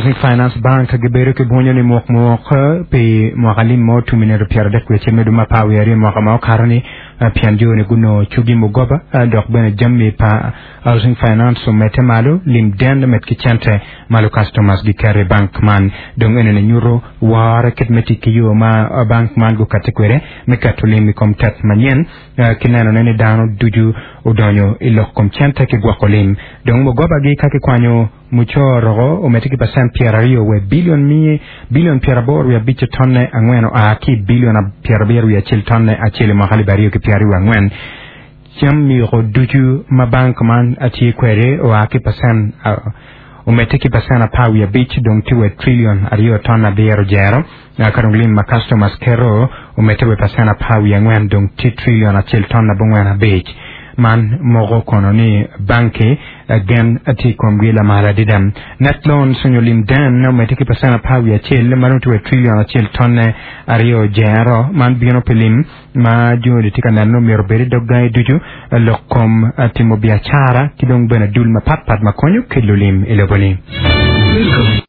Housing Finance Bank gibedo ki bwonyo ni muk muk pi mwaka lim mo tumi nito 31 me dwe me apar wiye aryo mwaka ma okato ni pien jo ni gunongo cugi mugoba dok bene jami pa Housing Finance omedde malo lim den med ki cente ma lucustomers giketo i bank man. Dong enoni nyuto woro kit me tic ki yo ma bank man gukati kwede me keto lim i kom tet manyen ki nenone ni dano ducu odonyo i lok kom cente ki gwoko lim. Dong mugobagi ka kikwanyo mucoro omedde ki pacent 20 we bilion miye bilion 85 tonne angwen oa ki i bilion 71 i mwaka 2024. Cam myuko ducu ma bank man tye kwede oa ki pacent omedde ki pacent 15 dong tye wa trilion aryo ton abiro jero. Ka dong lim ma customers keto omedde wa pacent 14 dong tye trilion acel ton abongwen abic. Man moko kono ni banki gen tye i komgi lamal adada. Net loans onyo lim den omedde ki pacent 11 ma dong tye wa trilion acel tonne aryo jero. Man bino pi lim ma joni tye ka neno ni myero obed i dog gangi ducu, lok kom timo biacara ki dong bene dul mapatpat ma konyo kelo lim i lobo-ni.